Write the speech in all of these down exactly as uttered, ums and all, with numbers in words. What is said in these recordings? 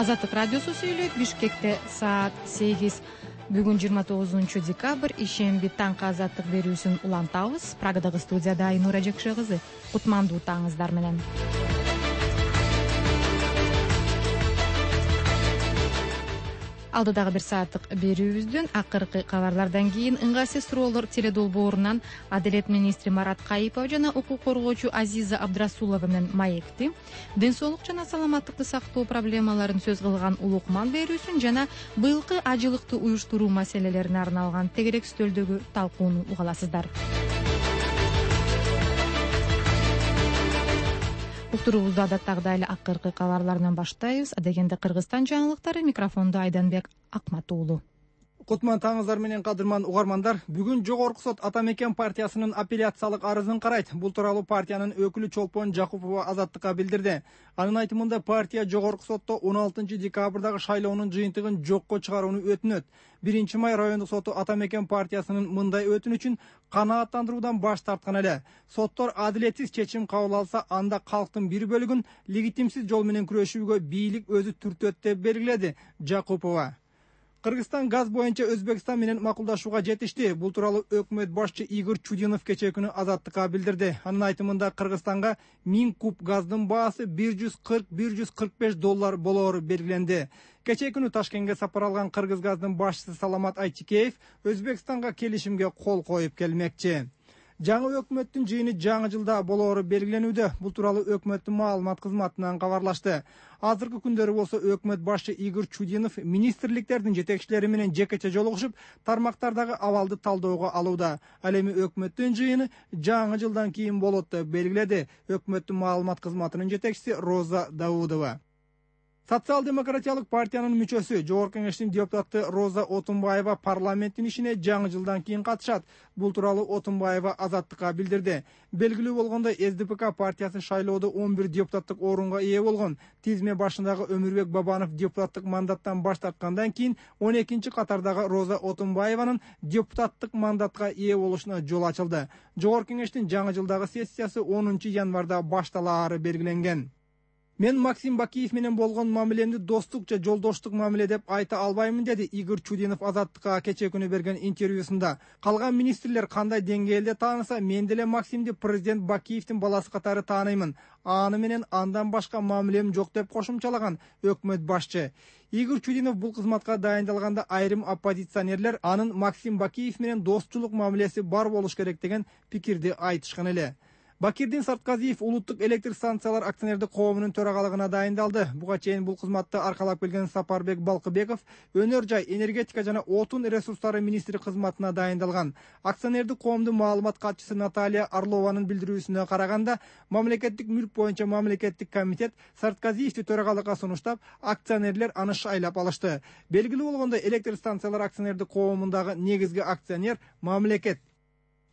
Азаттык радиосу сүйлөйт. Бишкекте саат сегиз. Бүгүн жыйырма тогузунчу декабрь, ишемби таңкы азаттык берүүсүн улантабыз. Прагадагы студияда Айнура Жекше кызы. Кутмандуу таңыңыздар менен. Алдыдагы бир сааттык берүүбүздүн акыркы кабарлардан кийин ыңгайсыз суроолор теледолбоорунан Адилет министри Марат Кайыпов жана укук коргоочу Азиза Абдрасулова менен маекти, ден соолук жана саламаттыкты сактоо проблемаларын сөз кылган улукман берүүсүн жана быйылкы ажылыкты уюштуруу маселелерине арналган тегерек стөлдөгү талкууну уга аласыздар. Уктуруубузду адаттагыдай эле акыркы кабарларынан баштайбыз. Адегенде Кыргызстан жаңылыктары, микрофондо Айданбек Акмат уулу. Кутман таңыңыздар менен кадырман угармандар. Бүгүн Жогорку сот Ата Мекен партиясынын апелляциялык арызын карайт. Бул тууралуу партиянын өкүлү Чолпон Жакупова Азаттыкка билдирди. Анын айтымында партия Жогорку сотто он алтынчы декабрдагы шайлоонун жыйынтыгын жокко чыгарууну өтүнөт. биринчи май райондук соту Ата Мекен партиясынын мындай өтүнүчүн канааттандыруудан баш тарткан эле. Соттор адилетсиз чечим кабыл алса, анда калктын бир бөлүгүн легитимсиз жол менен күрөшүүгө бийлик өзү түртөт деп белгиледи Жакупова. Кыргызстан газ боюнча Өзбекстан менен макулдашууга жетишти. Бул тууралуу өкмөт башчы Игорь Чудинов кечээ күнү Азаттыкка билдирди. Анын айтымында Кыргызстанга миң куб газдын баасы бир жүз кырк — бир жүз кырк беш доллар болоору белгиленди. Кечээ күнү Ташкентке сапар алган Кыргыз газдын башчысы Саламат Айтикеев Өзбекстанга келишимге кол коюп келмекчи. Жаңы өкмөттүн жыйыны жаңы жылда болоору белгиленүүдө. Бул тууралуу өкмөттүн маалымат кызматынан кабарлашты. Азыркы күндөрү болсо өкмөт башчы Игорь Чудинов министрликтердин жетекчилери менен жекече жолугушуп, тармактардагы абалды талдөөгө алууда. Ал эми өкмөттүн жыйыны жаңы жылдан кийин болот деп белгиледи өкмөттүн маалымат кызматынын жетекчиси Роза Даудова. Социал-демократиялык партиянын мүчөсү, Жогорку Кеңештин депутаты Роза Отунбаева парламенттин ишине жаңы жылдан кийин катышат. Бул тууралуу Отунбаева Азаттыкка билдирди. Белгилүү болгондой, эс дэ пэ ка партиясы шайлоодо он бир депутаттык орунга ээ болгон. Тизме башындагы Өмүрбек Бабанов депутаттык мандаттан баш тарткандан кийин он экинчи катардагы Роза Отунбаеванын депутаттык мандатка ээ болушуна жол ачылды. Жогорку Кеңештин жаңы жылдагы сессиясы онунчу январда башталаары белгиленген. Мен Максим Бакиев менен болгон мамилемди достук же жолдоштук мамиле деп айта албаймын, деди Игорь Чудинов Азаттыкка кечээ күнү берген интервьюсунда. Калган министрлер кандай деңгээлде тааныса, мен деле Максимди президент Бакиевдин баласы катары тааныймын. Аны менен андан башка мамилем жок деп кошумчалаган өкмөт башчы. Игорь Чудинов бул кызматка дайындалганда айрым оппозиционерлер анын Максим Бакиев менен достчулук мамилеси бар болуш керек деген пикирди айтышкан эле. Бакирдин Сартказиев улуттук электр станциялар акционердик коомунун төрагалыгына дайындалды. Буга чейин бул кызматты аркалап келген Сапарбек Балкыбеков өнөр жай, энергетика жана отун ресурстары министри кызматына дайындалган. Акционердик коомдун маалымат катчысы Наталья Орлованын билдирүүсүнө караганда, мамлекеттик мүлк боюнча мамлекеттик комитет Сартказиевди төрагалыкка сунуштап, акционерлер аны шайлап алышты. Белгилүү болгондой, электр станциялар акционердик коомундагы негизги акционер мамлекет.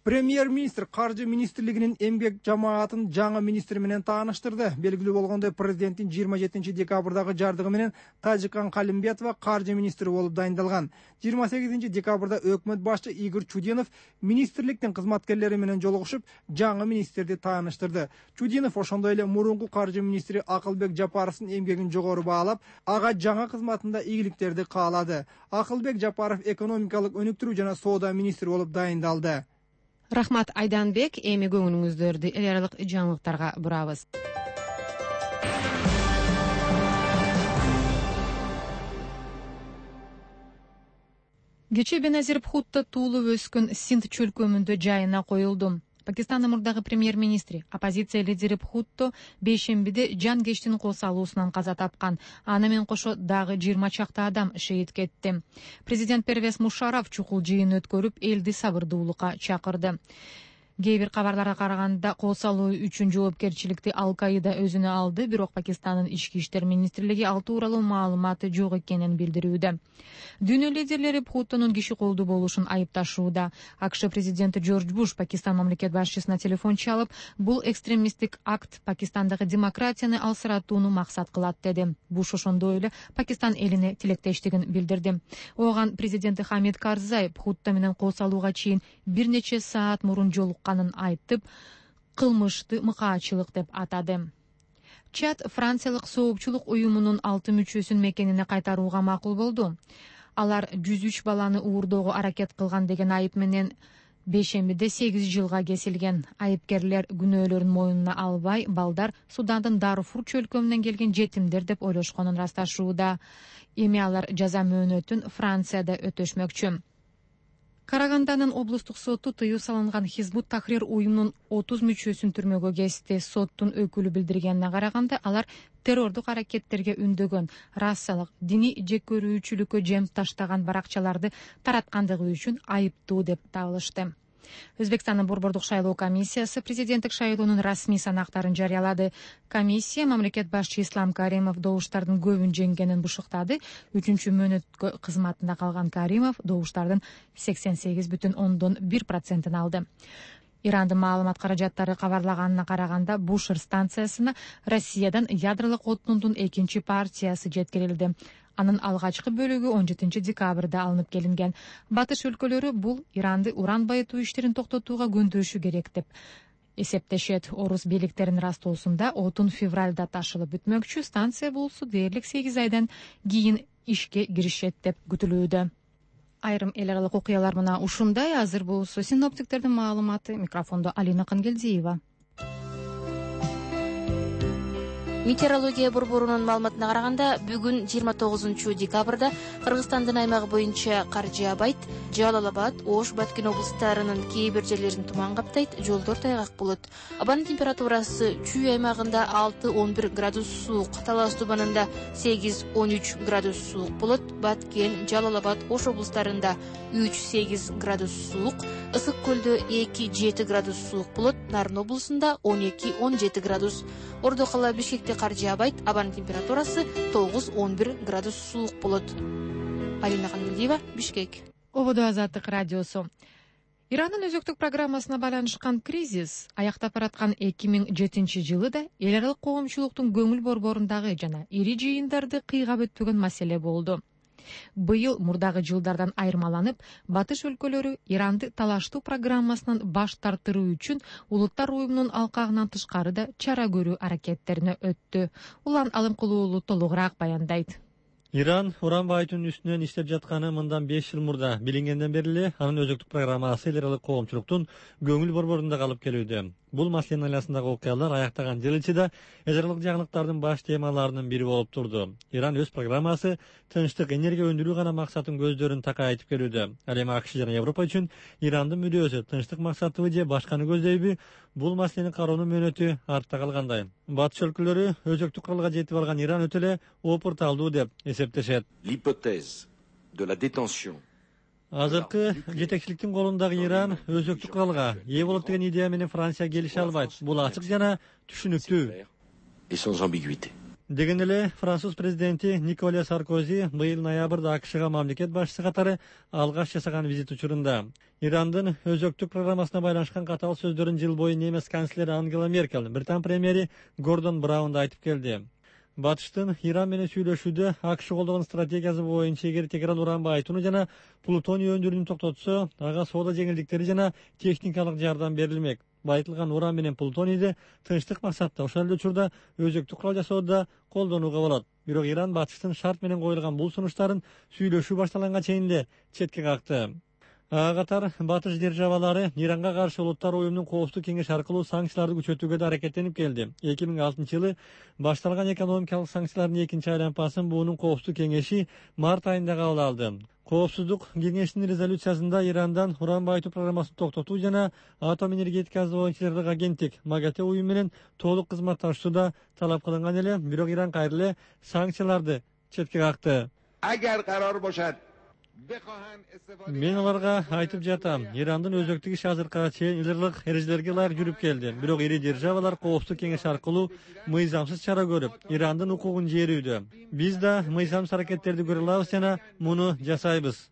Премьер-министр Каржы министрлигинин эмгек жамаатын жаңы министри менен тааныштырды. Белгилүү болгондой, президенттин жыйырма жетинчи декабрдагы жардыгы менен Тажикан Калимбетова каржы министри болуп дайындалган. жыйырма сегизинчи декабрда өкмөт башчы Игорь Чудинов министрликтин кызматкерлери менен жолугушуп, жаңы министрди тааныштырды. Чудинов ошондой эле мурунку каржы министри Акылбек Жапаровдун эмгегин жогору баалап, ага жаңы кызматында ийгиликтерди каалады. Акылбек Жапаров экономикалык өнүктүрүү жана соода министри болуп дайындалды. Рахмат Айданбек. Эми көңүлүңүздөрдү эл аралык жаңылыктарга бурабыз. Кечээ Беназир Бхутта туулуп өскөн Синд чөлкөмүндө жайына коюлду. Пакистандын мурдагы премьер-министри, оппозиция лидери Бхутто бейшембиде жан кештин кол салуусунан каза тапкан. Аны менен кошо дагы жыйырма чакты адам шейит кетти. Президент Первез Мушараф чукул жыйын өткөрүп, элди сабырдуулукка чакырды. Кээ бир кабарларга караганда, кол салуу үчүн жоопкерчиликти Ал-Каида өзүнө алды, бирок Пакистандын ички иштер министрлиги ал тууралуу маалыматы жок экенин билдирүүдө. Дүйнө лидерлери Бхуттонун киши колдуу болушун айыпташууда. АКШ президенти Джордж Буш Пакистан мамлекет башчысына телефон чалып, бул экстремисттик акт Пакистандагы демократияны алсыратууну максат кылат, деди. Буш ошондой эле Пакистан элине тилектештигин билдирди. Оган президенти Хамид Карзай Бхутто менен кол салууга чейин бир нече саат мурун жолуккан айтып, кылмышты мыкаачылык деп атады. Чад Франциялык соопчулук уюмунун алты мүчөсүн мекенине кайтарууга макул болду. Алар жүз үч баланы уурдоого аракет кылган деген айып менен бейшембиде сегиз жылга кесилген. Айыпкерлер күнөөлөрүн мойнуна албай, балдар Судандын Дарфур чөлкөмүнөн келген жетимдер деп ойлошконун ырасташууда. Эми алар жаза мөөнөтүн Францияда өтөшмөкчү. Караганданын облустук соту тыюу салынган Хизбут Тахрир уюмунун отуз мүчөсүн түрмөгө кести. Соттун өкүлү билдиргенине караганда, алар террордук аракеттерге үндөгөн, расалык, диний жеккөрүүчүлүккө жем таштаган баракчаларды тараткандыгы үчүн айыптуу деп табылышты. Өзбекстандын Борбордук шайлоо комиссиясы президенттик шайлоонун расмий санактарын жарыялады. Комиссия мамлекет башчы Ислам Каримов добуштардын көбүн жеңгенин бушуктады. Үчүнчү мөөнөткө кызматында калган Каримов добуштардын сексен сегиз бүтүн ондон бир процентин алды. Ирандын маалымат каражаттары кабарлаганына караганда, Бушер станциясына Россиядан ядролук отундун экинчи партиясы жеткирилди. Анын алгачкы бөлүгү он жетинчи декабрда алынып келинген. Батыш өлкөлөрү бул Иранды уран байытуу иштерин токтотууга көндүрүшү керек деп эсептешет. Орус бийликтеринин растоосунда отун февралда ташылып бүтмөкчү. Станция болсо дээрлик сегиз айдан кийин ишке киришет деп күтүлүүдө. Айрым эл аралык окуялар мына ушундай. Азыр болсо синоптиктердин маалыматы. Микрофондо Алина Кангелдиева. Метеорология борборунун маалыматына караганда, бүгүн жыйырма тогузунчу декабрда Кыргызстандын аймагы боюнча кар жаабайт. Жалал Абад, Ош, Баткен облустарынын кээ бир жерлерин туман каптайт, жолдор тайгак болот. Абанын температурасы Чүй аймагында алты он бир градус суук, Талас Тубанында сегиз он үч градус суук болот. Баткен, Жалал Абад, Ош облустарында үч сегиз градус суук, Ысык көлдө эки жети градус суук болот. Нарын облусунда он эки он жети градус. Ордо кала Бишкекте кар жаабайт, абанын температурасы тогуз он бир градус суук болот. Алина Кангелдиева, Бишкек. Ободо Азаттык радиосу. Ирандын өзөктүк программасына байланышкан кризис аяктап бараткан эки миң жетинчи жылы да эл аралык коомчулуктун көңүл борборундагы жана ири жыйындарды кыйгап өтпөгөн маселе болду. Быйыл мурдагы жылдардан айырмаланып, батыш өлкөлөрү Иранды талаштуу программасынан баш тартыруу үчүн улуттар уюмунун алкагынан тышкары да чара көрүү аракеттерине өттү. Улан Алымкулуу уулу толугураак баяндайт. Иран уран байытуунун үстүнөн иштеп жатканы мындан беш жыл мурда билингенден бери эле анын өзөктүк программасы эл аралык коомчулуктун көңүл борборунда калып келүүдө. Бул маселенин айласындагы окуялар аяктаган жыл ичинде эл аралык жаңылыктардын баш темаларынын бири болуп турду. Иран өз программасы тынчтык, энергия өндүрүү гана максатын көздөрүн такайтып келүүдө. Ал эми АКШ жана Европа үчүн Ирандын мүдөөсү тынчтык максатыбы же башканы көздөйбү, бул маселени кароонун мөөнөтү артта калгандай. Батыш өлкөлөрү өзөктүк куралга жетип алган Иран өтө эле опурталдуу деп эсептешет. L'hypothèse de la détention Азыркы жетекчиликтин колундагы Иран өзөктүк куралга ээ болот деген идея менен Франция келише албайт. Бул ачык жана түшүнүктүү. et sans ambiguïté. Деген эле Француз президенти Николя Саркози быйыл ноябрда АКШга мамлекет башчысы катары алгаш жасаган визит учурунда Ирандын өзөктүк программасына байланышкан катаал сөздөрүн жыл бою немис канцлери Ангела Меркель, Британ премьери Гордон Браун да айтып келди. Батыштын Иран менен сүйлөшүүдө АКШ колдогон стратегиясы боюнча эгер Тегеран уран байытууну жана плутоний өндүрүүнү токтотсо, ага соода жеңилдиктери жана техникалык жардам берилмек. Байытылган уран менен плутонийди тынчтык максатта, ошол эле учурда өзөктүк курал жасоодо колдонууга болот. Бирок Иран Батыштын шарт менен коюлган бул сунуштарын сүйлөшүү башталганга чейин эле четке какты. Ага катар Батыш державалары Иранга каршы улуттар уюмунун коопсуздук кеңеши аркылуу санкцияларды күчөтүүгө да аракеттенип келди. эки миң алтынчы жылы башталган экономикалык санкциялардын экинчи айланпасын буунун коопсуздук кеңеши март айында кабыл алды. Коопсуздук кеңешинин резолюциясында Ирандан уран байытуу программасын токтотуу жана атом энергетикасы боюнча жардык агенттик МАГАТЭ уюму менен толук кызматташуу да талап кылынган эле, бирок Иран кайра эле санкцияларды четке какты. Agar qaror boshad Мен аларга айтып жатам, Ирандын өзөктүк иши азыркыга чейин илгырлык эрежелерге ылайык жүрүп келди. Бирок ири державалар коопсуздук кеңеши аркылуу мыйзамсыз чара көрүп, Ирандын укугун жээрүүдө. Биз да мыйзамсыз аракеттерди көрө алабыз жана муну жасайбыз.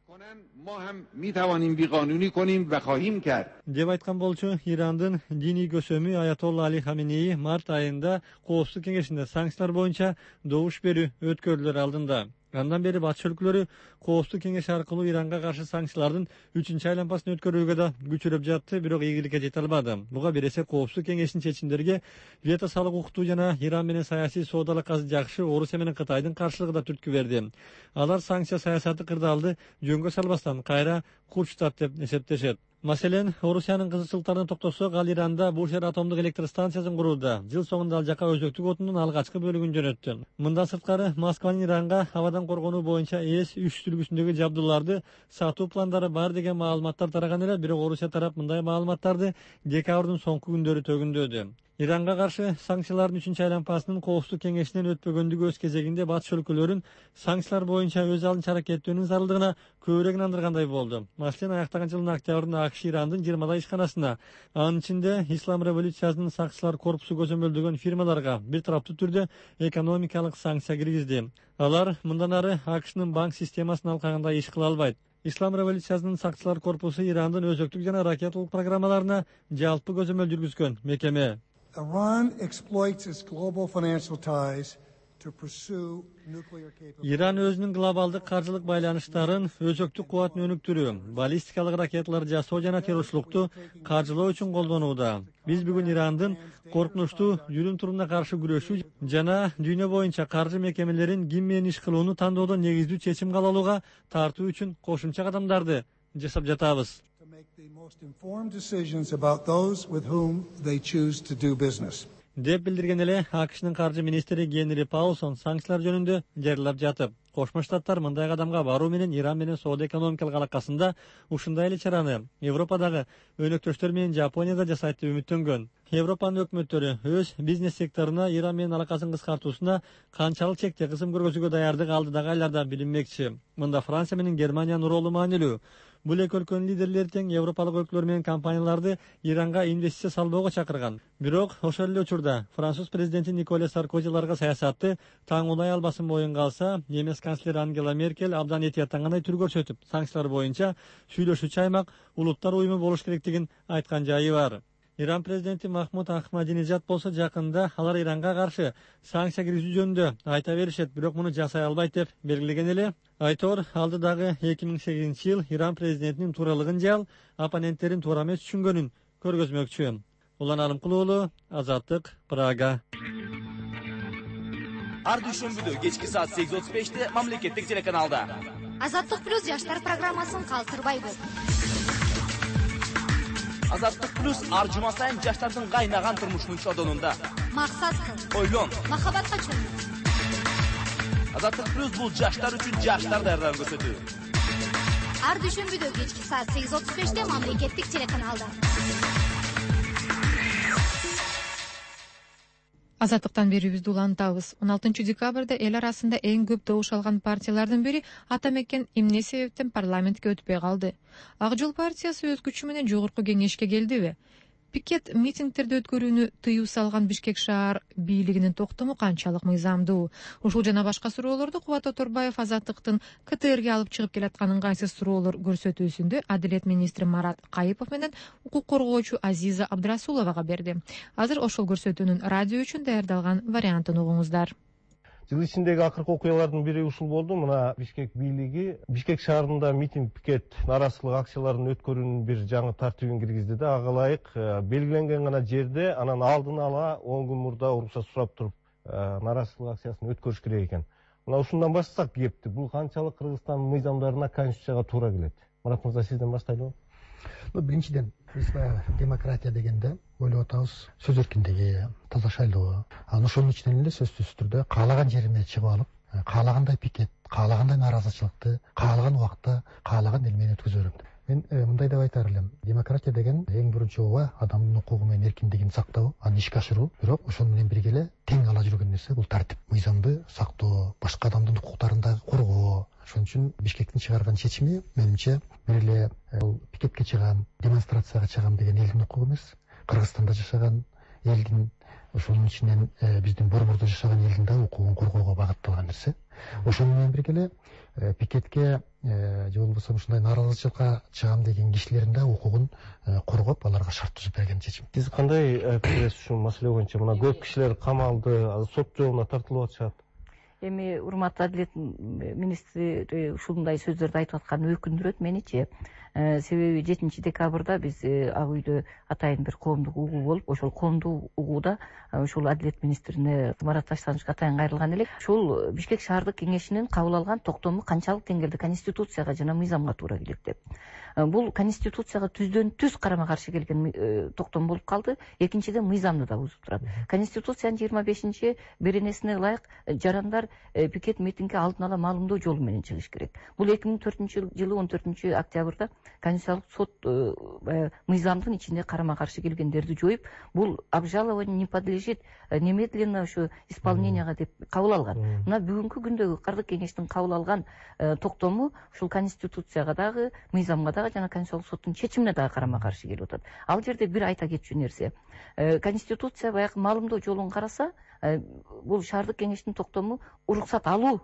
ما هم میتوانیم بیقانونی کنیم و خواهیم کرد. деп айткан болчу Ирандын диний көсөмү Аятолла Али Хаменеи март айында коопсуздук кеңешинде санкциялар боюнча добуш берүү өткөрүлөр алдында. Андан бери батыш өлкөлөрү Коопсуздук кеңеши аркылуу Иранга каршы санкциялардын үчүнчү айланмасын өткөрүүгө да күчүрөп жатты, бирок ийгиликке жете албады. Буга бересе Коопсуздук кеңешинин чечимдерге вето салык укуктуу жана Иран менен саясий соодалык азы жакшы Орусия менен Кытайдын каршылыгы да түрткү берди. Алар санкция саясаты кырдаалды жөнгө салбастан кайра курчтат деп эсептешет. Маселен, Орусиянын кызыкчылыктарына токтосок, ал Иранда Бушер атомдук электр станциясын курууда. Жыл соңунда ал жака өзөктүк отундун алгачкы бөлүгүн жөнөттү. Мындан сырткары Москванын Иранга абадан коргонуу боюнча эс үч сүлгүсүндөгү жабдууларды сатуу пландары бар деген маалыматтар тараган эле, бирок Орусия тарап мындай маалыматтарды декабрдын соңку күндөрү төгүндөөдү. Иранга каршы санкциялардын үчүнчү айланмасынын Коопсуздук кеңешинен өтпөгөндүгү өз кезегинде батыш өлкөлөрүн санкциялар боюнча өз алдынча аракеттөөнүн зарылдыгына көбүрөөк инандыргандай болду. Маселен, аяктаган жылдын октябрында АКШ Ирандын жыйырмадай ишканасына, анын ичинде Ислам революциясынын сакчылар корпусу көзөмөлдөгөн фирмаларга бир тараптуу түрдө экономикалык санкция киргизди. Алар мындан ары АКШнын банк системасын алкагандай иш кыла албайт. Ислам революциясынын сакчылар корпусу Ирандын өзөктүк жана ракеталык программаларына жалпы көзөмөл жүргүзгөн мекеме. Iran exploits its global financial ties to pursue nuclear capability. Иран өзүнүн глобалдык каржылык байланыштарын өзөктүк кубатын өнүктүрүү, баллистикалык ракеталар жасоо жана террорчулукту каржылоо үчүн колдонууда. Биз бүгүн Ирандын коркунучтуу жүрүм туруна каршы күрөшүү жана дүйнө боюнча каржы мекемелерин ким менен иш кылууну тандоодо негиздүү чечим кабыл алууга тартуу үчүн кошумча кадамдарды жасап жатабыз. The most informed decisions about those with whom they choose to do business. деп билдирген эле АКШнын каржы министри Генри Паулсон санкциялар жөнүндө жарыялап жатып. Кошмо Штаттар мындай кадамга баруу менен Иран менен соода экономикалык алакасында ушундай эле чараны Европадагы өнөктөштөр менен Жапонияда жасайт деп үмүттөнгөн. Европанын өкмөттөрү өз бизнес секторуна Иран менен алакасын кыскартуусуна канчалык чекте кысым көргөзүүгө даярдык алдыдагы айларда билинмекчи. Мында Франция менен Германиянын ролу маанилүү. Бул эки өлкөнүн лидерлери тең европалык өлкөлөр менен компанияларды Иранга инвестиция салбоого чакырган. Бирок ошол эле учурда Француз президенти Николя Саркози аларга саясатты таңуулай албасын боюнга алса, немис канцлери Ангела Меркель абдан этияттангандай түр көрсөтүп, санкциялар боюнча сүйлөшүүчү аймак улуттар уюму болуш керектигин айткан жайы бар. Иран президенти Махмуд Ахмадинежад болсо жакында алар Иранга каршы санкция киргизүү жөнүндө айта беришет, бирок муну жасай албайт деп белгилеген эле. Айтор алдыдагы эки миң сегизинчи жыл Иран президентинин тууралыгын же ал оппоненттерин туура эмес түшүнгөнүн көргөзмөкчү. Улан Алымкулуулу, Азаттык, Прага. Ар дүйшөмбүдө кечки саат сегиз отуз беште мамлекеттик телеканалда Азаттык плюс жаштар программасын калтырбайбыз. Азаттык плюс ар жума сайын жаштардын кайнаган турмушунун чодонунда. Максат кыл. Ойлон. Махабатка чөмүл. Азаттык плюс бул жаштар үчүн жаштар даярдыгын көрсөтүү. Ар дүйшөмбүдө кечки саат сегиз отуз беште мамлекеттик телеканалда. Азаттыктан берүүбүздү улантабыз. он алтынчы декабрда эл арасында эң көп добуш алган партиялардын бири Ата Мекен эмне себептен парламентке өтпөй калды? Ак жол партиясы өз күчү менен жогорку кеңешке келдиби? Пикет митингтерди өткөрүүнү тыюу салган Бишкек шаар бийлигинин токтому канчалык мыйзамдуу? Ушул жана башка суроолорду Кубат Оторбаев Азаттыктын КТРге алып чыгып келаткан ыңгайсыз суроолор көрсөтүүсүндө Адилет министри Марат Кайыпов менен укук коргоочу Азиза Абдрасуловага берди. Азыр ошол көрсөтүүнүн радио үчүн даярдалган вариантын угуңуздар. Жыл ичиндеги акыркы окуялардын бири ушул болду. Мына Бишкек бийлиги Бишкек шаарында митинг, пикет, нараазычылык акцияларын өткөрүүнүн бир жаңы тартибин киргизди да, ага ылайык белгиленген гана жерде, анан алдын ала он күн мурда уруксат сурап туруп, нараазычылык акциясын өткөрүш керек экен. Мына ушундан баштасак кепти. Бул канчалык Кыргызстандын мыйзамдарына, конституцияга туура келет? Марат мырза, сизден баштайлыбы? Ну, биринчиден, биз баягы демократия дегенде ойлоп атабыз сөз эркиндиги, таза шайлоо. Анан ошонун ичинен эле сөзсүз түрдө каалаган жериме чыгып алып, каалагандай пикет, каалагандай нааразычылыкты, каалаган убакта, каалаган эл менен өткөзө берем. Мен мындай деп айтар элем. Демократия деген эң биринчи ооба адамдын укугу менен эркиндигин сактоо, аны ишке ашыруу. Бирок ошону менен бирге эле тең ала жүргөн нерсе бул тартип, мыйзамды сактоо, башка адамдын укуктарын дагы коргоо. Ошон үчүн Бишкектин чыгарган чечими менимче бир эле бул пикетке чыгам, демонстрацияга чыгам деген элдин укугу эмес. Кыргызстанда жашаган элдин, ошонун ичинен биздин борбордо жашаган элдин да укугун коргоого багытталган нерсе. Ошону менен бирге эле пикетке же болбосо ушундай нааразычылыкка чыгам деген кишилердин да укугун коргоп, аларга шарт түзүп берген чечим. Сиз кандай пикирсиз ушул маселе боюнча? Мына көп кишилер камалды, сот жолуна тартылып атышат. эми урматтуу адилет министри ушундай сөздөрдү айтып атканы өкүндүрөт меничи. Себеби жетинчи декабрда биз ак үйдө атайын бир коомдук угуу болуп, ошол коомдук угууда ушул адилет министрине Марат Таштановичке атайын кайрылган элек. Ушул Бишкек шаардык кеңешинин кабыл алган токтому канчалык деңгээлде конституцияга жана мыйзамга туура келет деп. Бул конституцияга түздөн түз карама каршы келген токтом болуп калды. Экинчиден мыйзамды да бузуп турат. Конституциянын жыйырма бешинчи беренесине ылайык жарандар пикет митингге алдын ала маалымдоо жолу менен чыгыш керек. Бул эки миң төртүнчү жылы он төртүнчү октябрда Конституциялык сот мыйзамдын ичинде карама каршы келгендерди жоюп, бул обжалование не подлежит немедленно ушу исполненияга деп кабыл алган. Мына бүгүнкү күндөгү кырдык кеңештин кабыл алган токтому ушул конституцияга дагы, мыйзамга дагы жана Конституциялык соттун чечимине дагы карама каршы келип атат. Ал жерде бир айта кетчү нерсе. Конституция баягы маалымдоо жолун караса, бул шаардык кеңештин токтому уруксат алуу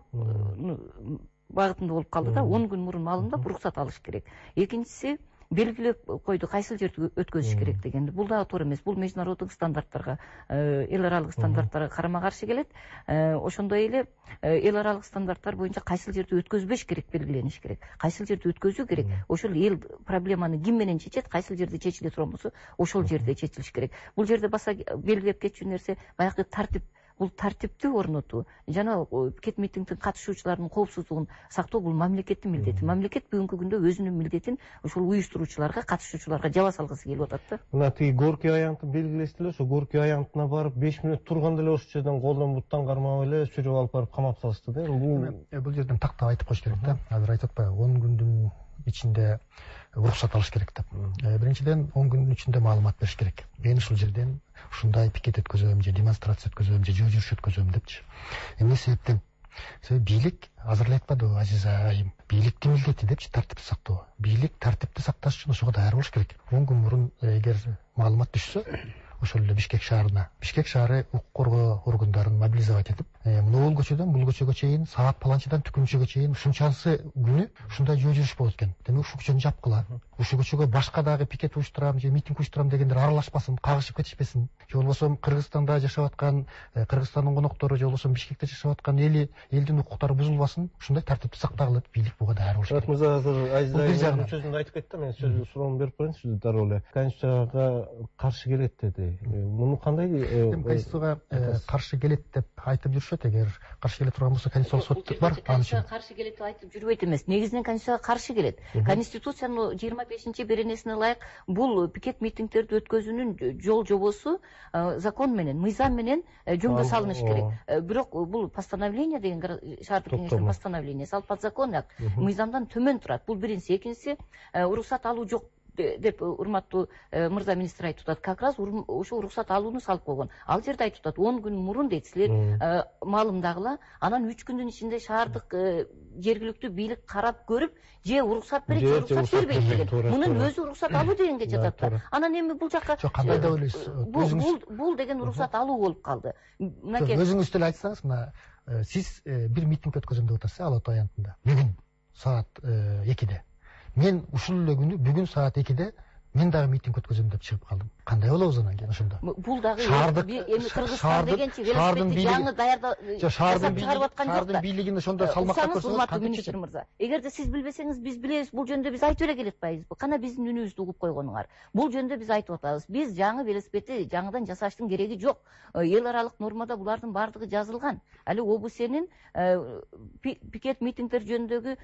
багытында болуп калды да, он күн мурун маалымдап уруксат алыш керек. Экинчиси белгилеп койду кайсыл жерде өткөзүш керек дегенди. Бул дагы туура эмес. Бул международдук стандарттарга, эл аралык стандарттарга карама каршы келет. Ошондой эле эл аралык стандарттар боюнча кайсыл жерде өткөзбөш керек белгилениш керек. Кайсыл жерде өткөзүү керек. Ошол эл проблеманы ким менен чечет, кайсыл жерде чечиле турган болсо, ошол жерде чечилиш керек. Бул жерде баса белгилеп кетчү нерсе баягы тартип. Бул тартипти орнотуу жана пикет митингдин катышуучуларынын коопсуздугун сактоо бул мамлекеттин милдети. Мамлекет бүгүнкү күндө өзүнүн милдетин ушул уюштуруучуларга, катышуучуларга жаба салгысы келип атат да. Мына тиги Горький аянтын белгилесиз эле, ошо Горький аянтына барып беш мүнөт турганда эле ошол жерден колдон буттан кармап эле сүрүп алып барып камап салышты да. Бул бул жерден тактап айтып коюш керек да. Азыр айтып атпайбы, он күндүн ичинде уруксат алыш керек деп. Биринчиден он күндүн ичинде маалымат бериш керек. Мен ушул жерден ушундай пикет өткөзөм же демонстрация өткөзөм же жөө жүрүш өткөзөм депчи. Эмне себептен? Себеби бийлик азыр эле айтпадыбы Азиза айым? Бийликтин милдети депчи тартипти сактоо. Бийлик тартипти сакташ үчүн ошого даяр болуш керек. он күн мурун эгер маалымат түшсө, ошол эле Бишкек шаарына, Бишкек шаары укук коргоо органдарын мобилизовать этип, мына бул көчөдөн бул көчөгө чейин, саат паланчадан түкүнчөгө чейин ушунчасы күнү ушундай жөө жүрүш болот экен. Демек ушул көчөнү жапкыла. Ушул көчөгө башка дагы пикет уюштурам же митинг уюштурам дегендер аралашпасын, кагышып кетишпесин. Же болбосо Кыргызстанда жашап аткан, Кыргызстандын коноктору же болбосо Бишкекте жашап аткан эли, элдин укуктары бузулбасын, ушундай тартипти сактагыла деп бийлик буга даяр болуш керек. Мырза азыр Айза сөзүндө айтып кетти, мен сөз суроону берип коеюн сизге дароо эле. Конституцияга каршы келет деди. Муну кандай? Конституцияга каршы келет деп айтып жүрүшөт. Эгер каршы келе турган болсо Конституциялык сот бар. Конституцияга каршы келет деп айтып жүрбөйт эмес. Негизинен Конституцияга каршы келет. Конституциянын жыйырма бешинчи беренесине ылайык бул пикет митингдерди өткөзүүнүн жол жобосу закон менен, мыйзам менен жөнгө салыныш керек. Бирок бул постановление деген шаардык кеңештин постановлениясы, ал подзаконный акт, мыйзамдан төмөн турат. Бул биринчиси. Экинчиси, уруксат алуу жок деп урматтуу мырза министр айтып атат. Как раз ошо уруксат алууну салып койгон. Ал жерде айтып атат, он күн мурун дейт, силер маалымдагыла, анан үч күндүн ичинде шаардык жергиликтүү бийлик карап көрүп, же уруксат берет, же уруксат бербейт деген. Мунун өзү уруксат алуу дегенге жатат да. Анан эми бул жакка жок, кандай деп ойлойсуз? Бул бул деген уруксат алуу болуп калды. Мынакей өзүңүз деле айтсаңыз, мына сиз бир митинг өткөзөм деп атасыз Ала Ата аянтында. Бүгүн саат экиде. Мен ушул эле күнү бүгүн саат экиде мен дагы митинг өткөзөм деп чыгып калдым. Кандай болобуз анан кийин ошондо? Бул дагы эми Кыргызстан дегенчи велосипедти жаңы даярдап чыгарып аткан жок да. Бийлигин ошондо салмактап көрсөңүз, урматтуу министр мырза, эгерде сиз билбесеңиз биз билебиз, бул жөнүндө биз айтып эле келатпайбызбы? Кана биздин үнүбүздү угуп койгонуңар. Бул жөнүндө биз айтып атабыз. Биз жаңы велосипедти жаңыдан жасаштын кереги жок. Эл аралык нормада булардын баардыгы жазылган. Али ОБСнин пикет митингдер жөнүндөгү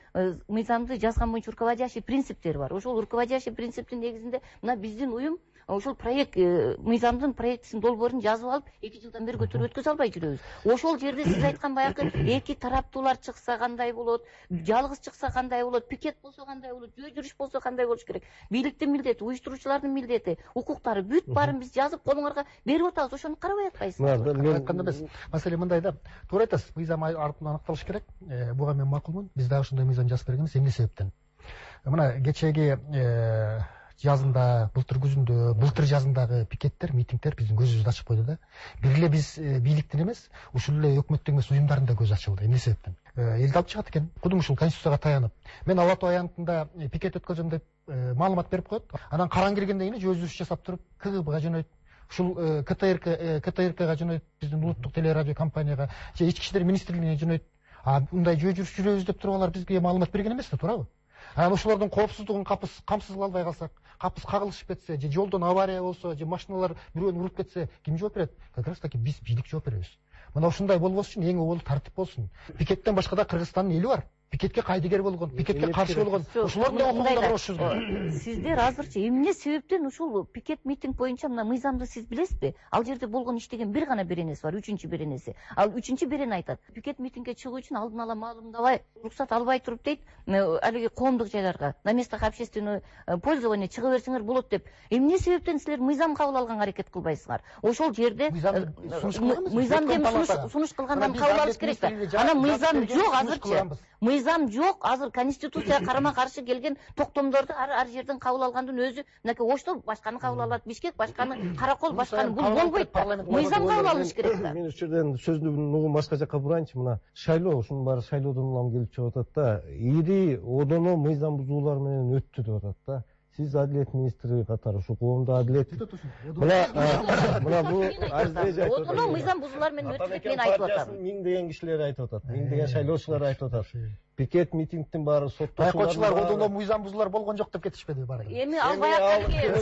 мыйзамды жазган боюнча руководящий принциптери бар. Ошол руководящий принциптин негизинде мына биздин уюм ошол проект мыйзамдын проектисин долбоорун жазып алып эки жылдан бери көтөрүп өткөзө албай жүрөбүз. Ошол жерде сиз айткан баягы эки тараптуулар чыкса кандай болот, жалгыз чыкса кандай болот, пикет болсо кандай болот, жөө жүрүш болсо кандай болуш керек? Бийликтин милдети, уюштуруучулардын милдети, укуктары бүт баарын биз жазып колуңарга берип атабыз. Ошону карабай атпайсызбы? Мен айтканда эмес. Маселе мындай да. Туура айтасыз. Мыйзам артынан аныкталыш керек. Буга мен макулмун. Биз дагы ушундай мыйзам жазып бергенбиз. Эмне себептен? Мына кечеги жазында, былтыр күзүндө, былтыр жазындагы пикеттер, митингдер биздин көзүбүздү ачып койду да. Бир эле биз бийликтин эмес, ушул эле өкмөттүн эмес уюмдардын да көзү ачылды. Эмне себептен? Элди алып чыгат экен. Кудум ушул Конституцияга таянып. Мен Ала Тоо аянтында пикет өткөзөм деп маалымат берип коет. Анан караң келгенден кийин жөө жүрүш жасап туруп, КГБга жөнөйт. ушул КТРК КТРКга жөнөйт, биздин улуттук телерадио компанияга же ички иштер министрлигине жөнөйт. А мындай жөө жүрүш жүрөбүз деп туруп алар бизге маалымат берген эмес да, туурабы? Анан ошолордун коопсуздугун камсыз кыла албай калсак, капыс кагылышып кетсе, же жолдон авария болсо, же машиналар бирөөнү уруп кетсе, ким жооп берет? Как раз таки биз, бийлик жооп беребиз. Мына ушундай болбош үчүн эң обол тартип болсун. Пикеттен башка да Кыргызстандын эли бар. Пикетке кайдыгер болгон, пикетке каршы болгон. Ошолордун да окугунда болушубуз. Сиздер азырчы эмне себептен ушул пикет митинг боюнча мына мыйзамды сиз билесизби? Ал жерде болгон иштеген бир гана беренеси бар, үчүнчү беренеси. Ал үчүнчү берене айтат: пикет митингге чыгуу үчүн алдын ала маалымдабай, уруксат албай туруп дейт, алиги коомдук жайларга на местах общественного пользования чыга берсеңер болот деп. Эмне себептен силер мыйзам кабыл алганга аракет кылбайсыздар? Ошол жерде мыйзам деп сунуш кылгандан кабыл алыш керек да. Анан мыйзам жок азырчы. Мыйзам жок, азыр конституцияга карама каршы келген токтомдорду ар ар жерден кабыл алгандын өзү, мынакей Ошто башканы кабыл алат, Бишкек башканы, Каракол башканы, бул болбойт да. Мыйзам кабыл алыш керек да. Мен ушул жерден сөздүн угун башка жакка бурайынчы. Мына шайлоо, ушунун баары шайлоодон улам келип чыгып атат да. Ири одоно мыйзам бузуулар менен өттү деп атат да. Сиз адилет министри катары ушул коомдо адилет. Мына мына бул азиз айтып атат. Одоно мыйзам бузуулар менен өттү деп мен айтып атам. Миңдеген кишилер айтып атат. Миңдеген шайлоочулар айтып атат. Пикет митингдин баары соттошуулар. Байкоочулар одоно мыйзам бузуулар болгон жок деп кетишпеди баары. Эми ал баягы келген,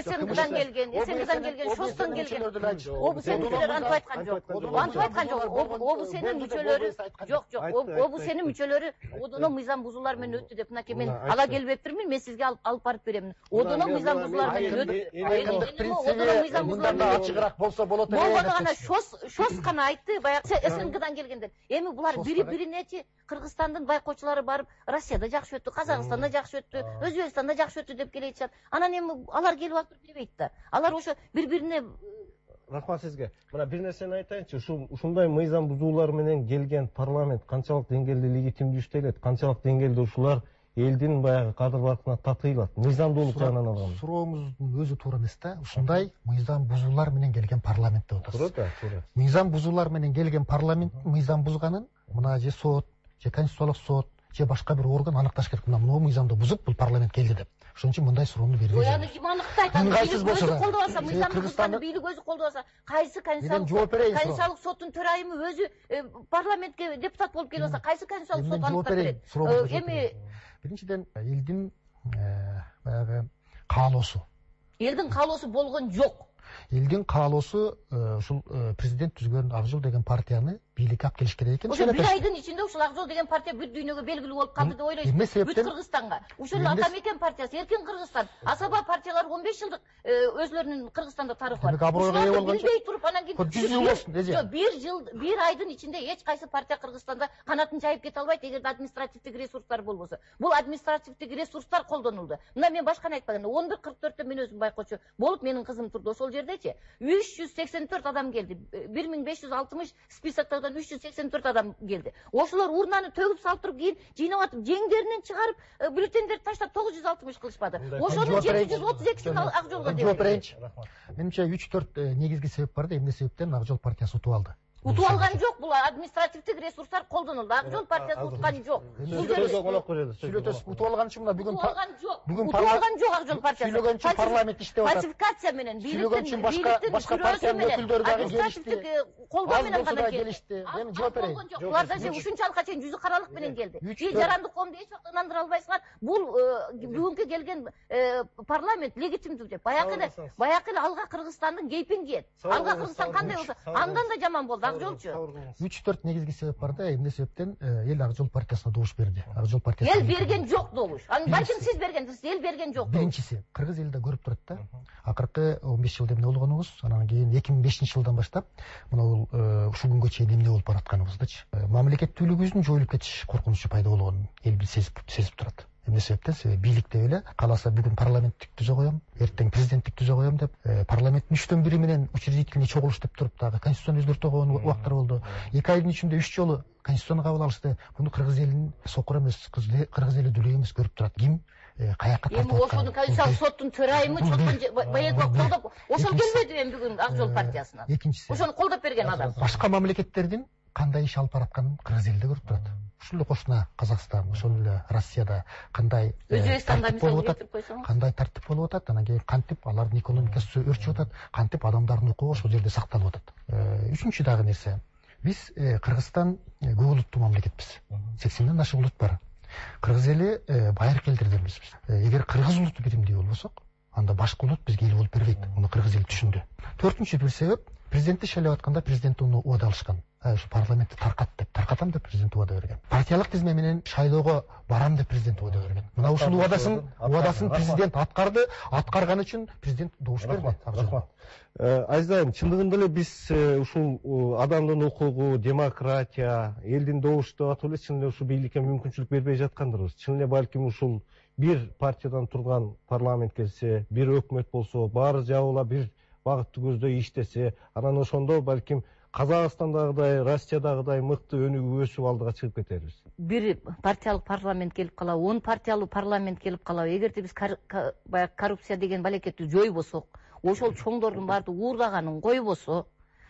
СНГдан келген, СНГдан келген, ШОСтон келген. ОБСНдер антип айткан жок. Антип айткан жок. ОБСНин мүчөлөрү жок, жок. ОБСНин мүчөлөрү одоно мыйзам бузуулар менен өттү деп мынакей мен ала келбептирмин, мен сизге алып барып берем. Одоно мыйзам бузуулар менен өттү. Айкындык принциби мындан да ачыгыраак болсо болот эле. Болгону гана ШОС ШОС гана айтты, баягы СНГдан келгендер. Эми булар бири-биринечи Кыргызстандын байкоочулары барып, Россияда жакшы өттү, Казакстанда жакшы өттү, Өзбекстанда жакшы өттү деп келе жатышат. Анан эми алар келип алып дебейт да. Алар ошо бири-бирине рахмат сизге. Мына бир нерсени айтайынчы, ушул ушундай мыйзам бузуулар менен келген парламент канчалык деңгээлде легитимдүү иштелет, канчалык деңгээлде ушулар элдин баягы кадыр баркына татыйлат, мыйзамдуулук жагынан алганда. Сурооңуздун өзү туура эмес да. Ушундай мыйзам бузуулар менен келген парламент деп атасыз. Туура да, туура. Мыйзам бузуулар менен келген парламент мыйзам бузганын мына же сот, же конституциялык сот, же башка бир орган аныкташ керек. Мына мына мыйзамды бузуп бул парламент келди деп. Ошон үчүн мындай суроону бербей. Ой, аны ким аныктайт? Аны өзү колдоп алса, мыйзамды бузганды бийлик өзү колдоп алса, кайсы конституциялык соттун төрайымы өзү парламентке депутат болуп келип алса, кайсы конституциялык сот аныктап берет? Эми биринчиден элдин баягы каалоосу. Элдин каалоосу болгон жок. Элдин каалоосу ушул президент түзгөн Ак Жол деген партияны бийликке алып келиш керек экен. Ошо бир айдын ичинде ушул Ак Жол деген партия бүт дүйнөгө белгилүү болуп калды деп ойлойсуз. Бүт Кыргызстанга. Ушул Атамекен партиясы, Эркин Кыргызстан, Асаба партиялары он беш жылдык өзлөрүнүн Кыргызстанда тарыхы бар. Ушуларды билбей туруп анан кийин жүз жыл болсун эже. бир жыл, бир айдын ичинде эч кайсы партия Кыргызстанда канатын жайып кете албайт эгерде административдик ресурстар болбосо. Бул административдик ресурстар колдонулду. Мына мен башканы айтпаганда он бир кырк төрттө мен өзүм байкоочу болуп, менин кызым турду ошол жердечи. үч жүз сексен төрт адам келди. бир миң беш жүз алтымыш списоктогон үч жүз сексен төрт адам келди. Ошолор урнаны төгүп салып туруп кийин жыйнап атып, жеңдеринен чыгарып, бюллетендерди таштап тогуз жүз алтымыш кылышпады. Ошонун жети жүз отуз экисин Ак Жолго деп. Жооп берейинчи. Менимче үч төрт негизги себеп бар да, эмне себептен Ак Жол партиясы утуп алды. Утуп алган жок, бул административдик ресурстар колдонулду. Ак Жол партиясы уткан жок. Сүйлөтөсүз, утуп алган үчүн мына бүгүн утуп алган жок. Утуп алган жок Ак Жол партиясы. Сүйлөгөн үчүн парламент иштеп атат. Фальсификация менен, бийликтин башка башка партиянын өкүлдөрү дагы келишти. Колдоо менен гана келишти. Эми жооп берейин. Булар да же ушунчалыкка чейин жүзү каралык менен келди. Же жарандык коомду эч убакта ынандыра албайсыңар. Бул бүгүнкү келген парламент легитимдүү деп. Баягы эле, баягы эле алга Кыргызстандын кейпин кийет. Алга Кыргызстан кандай болсо, андан да жаман болду Ак Жолчу. үч төрт негизги себеп бар да, эмне себептен эл Ак Жол партиясына добуш берди. Ак Жол партиясы. Эл берген жок добуш. Аны балким сиз бергенсиз, эл берген жок. Биринчиси, кыргыз эли да көрүп турат да. Акыркы он беш жылда эмне болгонубуз, анан кийин эки миң бешинчи жылдан баштап мына бул ушул күнгө чейин эмне болуп баратканыбыздычы. Мамлекеттүүлүгүбүздүн жоюлуп кетиш коркунучу пайда болгонун эл сезип сезип турат. Эмне себептен? Себеби бийлик деп эле кааласа бүгүн парламенттик түзө коем, эртең президенттик түзө коем деп, парламенттин үчтөн бири менен учредительный чогулуш деп туруп дагы конституцияны өзгөртө койгон убактар болду. эки айдын ичинде үч жолу конституцияны кабыл алышты. Буну кыргыз элинин сокур эмес, кыргыз эли дүлөй эмес көрүп турат. Ким каякка тартып аткан? Эми ошону конституциялык соттун төрайымы чоткон баягы колдоп, ошол келбеди эми бүгүн Ак Жол партиясына. Экинчиси. Ошону колдоп берген адам. Башка мамлекеттердин кандай иш алып баратканын кыргыз эли да көрүп турат. Ушул эле кошуна Казакстан, ошол эле Россияда кандай Өзбекстанда мисалы келтирип койсоңуз, кандай тартип болуп атат, анан кийин кантип алардын экономикасы өрчүп атат, кантип адамдардын укугу ошол жерде сакталып атат. Үчүнчү дагы нерсе, биз Кыргызстан көп улуттуу мамлекетпиз. сексенден ашык улут бар. Кыргыз эли байыркы элдерден биз. Эгер кыргыз улуту биримдүү болбосок, анда башка улут бизге эл болуп бербейт. Муну кыргыз эли түшүндү. Төртүнчү бир себеп, президентти шайлап атканда президент уну убада алышкан. Ушу парламентти таркат деп, таркатам деп президент убада берген. Партиялык тизме менен шайлоого барам деп президент убада берген. Мына ушул убадасын, убадасын президент аткарды, аткарган үчүн президент добуш берди. Рахмат. Азиз айым, чындыгында эле биз ушул адамдын укугу, демократия, элдин добушу деп атып эле чын эле ушул бийликке мүмкүнчүлүк бербей жаткандырбыз. Чын эле балким ушул бир партиядан турган парламент келсе, бир өкмөт болсо, баары жабыла бир багытты көздөй иштесе, анан ошондо балким Казакстандагыдай, Россиядагыдай мыкты өнүгүп өсүп алдыга чыгып кетербиз. Бир партиялык парламент келип калабы, он партиялуу парламент келип калабы. Эгерде биз баягы коррупция деген балекетти жойбосок, ошол чоңдордун баардыгы уурдаганын койбосо,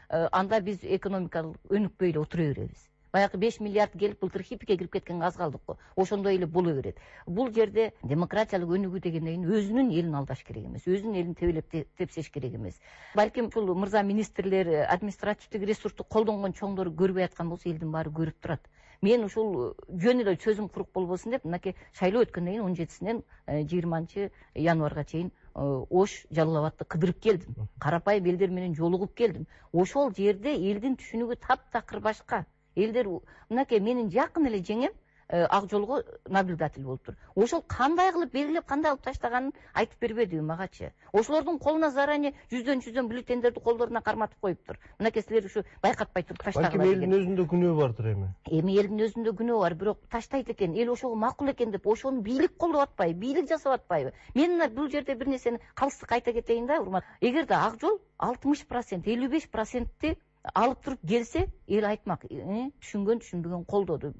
анда биз экономикалык өнүкпөй эле отура беребиз. Баягы беш миллиард келип былтыр хипике кирип кеткенге аз калдык го. Ошондой эле боло берет. Бул жерде демократиялык өнүгүү дегенден кийин өзүнүн элин алдаш керек эмес, өзүнүн элин тебелеп тепсеш керек эмес. Балким ушул мырза министрлер, административдик ресурсту колдонгон чоңдор көрбөй аткан болсо, элдин баары көрүп турат. Мен ушул жөн эле чөзүм курук болбосун деп, мынакей шайлоо өткөндөн кийин он жетисинен жыйырманчы январга чейин Ош, Жалал Абадты кыдырып келдим. Карапайым элдер менен жолугуп келдим. Ошол жерде элдин түшүнүгү таптакыр башка. Элдер мынакей менин жакын эле жеңем Ак Жолго наблюдатель болуптур. Ошол кандай кылып белгилеп, кандай алып таштаганын айтып бербеди магачы. Ошолордун колуна заранее жүздөн жүздөн бюллетендерди колдоруна карматып коюптур. Мынакей силер ушу байкатпай туруп таштагыла деген. Балким элдин өзүндө күнөө бардыр эми. Эми элдин өзүндө күнөө бар, бирок таштайт экен, эл ошого макул экен деп, ошону бийлик колдоп атпайбы, бийлик жасап атпайбы? Мен мына бул жерде бир нерсени калыстык айта кетейин да, урмат. Эгерде Ак Жол алтымыш процент, элүү беш процентти алып туруп келсе, эл айтмак, түшүнгөн түшүнбөгөн колдоду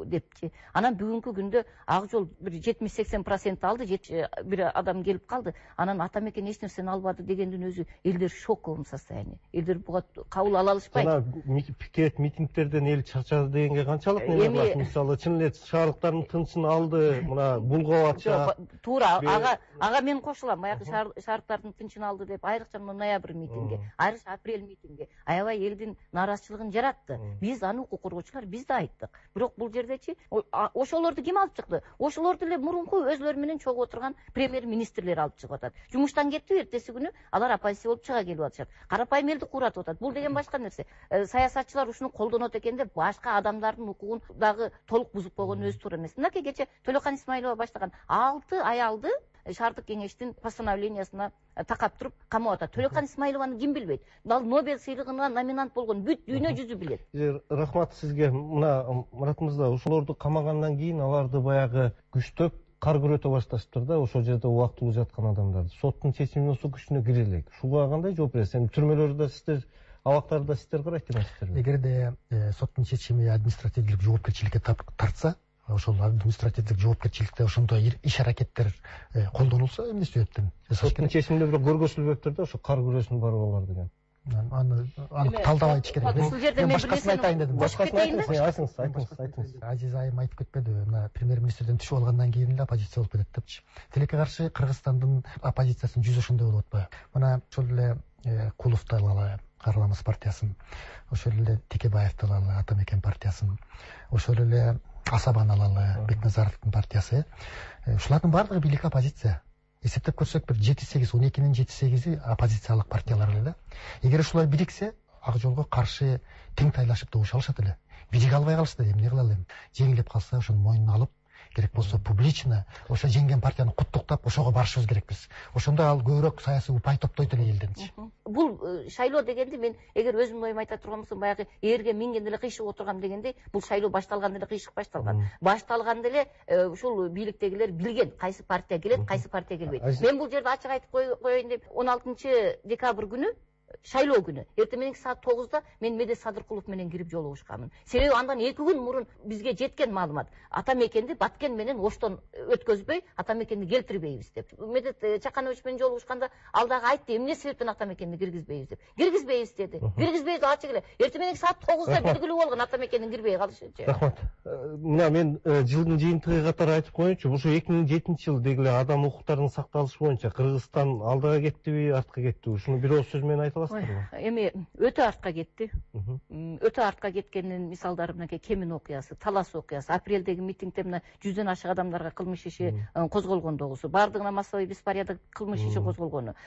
депчи. Анан бүгүнкү күндө Ак Жол бир жетимиш сексен процент алды, бир адам келип калды. Анан ата мекен эч нерсени албады дегендин өзү элдер в шоковом состоянии. Элдер буга кабыл ала алышпайт. Жана пикет, митингтерден эл чарчады дегенге канчалык неме бар? Мисалы, чын эле шаардыктардын тынчын алды, мына булгап атча. Туура, ага ага мен кошулам. Баягы шаардыктардын тынчын алды деп, айрыкча ноябрь митинги, айрыкча апрель митинги. Аябай элдин нааразычылыгын жаратты. Биз аны укук коргоочулар биз да айттык. Бирок бул жердечи ошолорду ким алып чыкты? Ошолорду эле мурунку өзлөрү менен чогуу отурган премьер-министрлер алып чыгып атат. Жумуштан кетти, эртеси күнү алар оппозиция болуп чыга келип атышат. Карапайым элди кууратып атат. Бул деген башка нерсе. Саясатчылар ушуну колдонот экен деп башка адамдардын укугун дагы толук бузуп койгон өзү туура эмес. Мынакей кече Төлөкан Исмаилова баштаган алты аялды шаардык кеңештин постановлениясына такап туруп камап атат. Төлөкан Исмаилованы ким билбейт? Ал Нобель сыйлыгына номинант болгон, бүт дүйнө жүзү билет. Рахмат сизге. Мына Мурат мырза, ошолорду камагандан кийин аларды баягы күчтөп кар күрөтө башташыптыр да, ошол жерде убактылуу жаткан адамдарды. Соттун чечими болсо күчүнө кире элек. Ушуга кандай жооп бересиз? Эми түрмөлөрдө сиздер, абактарда сиздер карайт эмессиздерби? Эгерде соттун чечими административдик жоопкерчиликке тартса, ошол административдик жоопкерчиликте ошондой иш-аракеттер колдонулса, эмне себептен? Соттун чечиминде бирок көргөзүлбөптүр да, ошо кар күрөсүнүн баары алар деген. Аны анык талдабай ич керек. Ушул жерде мен башкасын айтайын дедим. Башкасын айтыңыз, айтыңыз, айтыңыз, айтыңыз. Азиз айым айтып кетпеди, мына премьер-министрден түшүп алгандан кийин эле оппозиция болуп кетет депчи. Тилекке каршы Кыргызстандын оппозициясынын жүзү ошондой болуп атпайбы? Мына ошол эле Куловду алалы, Карламыз партиясын, ошол эле Текебаевди алалы, Ата мекен партиясын, ошол эле Асабаны алалы, Бекназаровдун партиясы. Ушулардын баардыгы бийлик оппозиция. Эсептеп көрсөк, бир жети сегиз, он экинин жети сегизи оппозициялык партиялар эле да. Эгер ушулар бириксе, Ак Жолго каршы тең тайлашып добуш алышат эле. Бириге албай калышты, эмне кыла элем? Жеңилип калса, ошонун мойнуна алып, керек болсо публично ошо жеңген партияны куттуктап, ошого барышыбыз керекпиз. Ошондо ал көбүрөөк саясий упай топтойт эле элденчи. Бул шайлоо дегенди мен эгер өзүмдүн оюмду айта турган болсом, баягы ээрге минген эле кыйшык отургам дегендей, бул шайлоо башталганда эле кыйшык башталган. Башталганда эле ушул бийликтегилер билген кайсы партия келет, кайсы партия келбейт. Мен бул жерде ачык айтып коеюн деп, он алтынчы декабрь күнү шайлоо күнү эртең мененки саат тогузда мен Медет Садыркулов менен кирип жолугушканмын. Себеби андан эки күн мурун бизге жеткен маалымат ата мекенди Баткен менен Оштон өткөзбөй, ата мекенди келтирбейбиз деп. Медет Чаканович менен жолугушканда ал дагы айтты, эмне себептен ата мекенди киргизбейбиз деп. Киргизбейбиз деди. Киргизбейбиз ачык эле. Эртең мененки саат тогузда белгилүү болгон ата мекендин кирбей калышычы. Рахмат. Мына мен жылдын жыйынтыгы катары айтып коеюнчу, ушул эки миң жетинчи жылы деги эле адам укуктарынын сакталышы боюнча Кыргызстан алдыга кеттиби, артка кеттиби? Ушуну бир ооз сөз менен айта аласыздарбы? Эми өтө артка кетти. Өтө артка кеткенин мисалдары мынакей Кемин окуясы, Талас окуясы, апрелдеги митингде мына жүздөн ашык адамдарга кылмыш иши козголгондогусу, баардыгына массовый беспорядок кылмыш иши козголгону.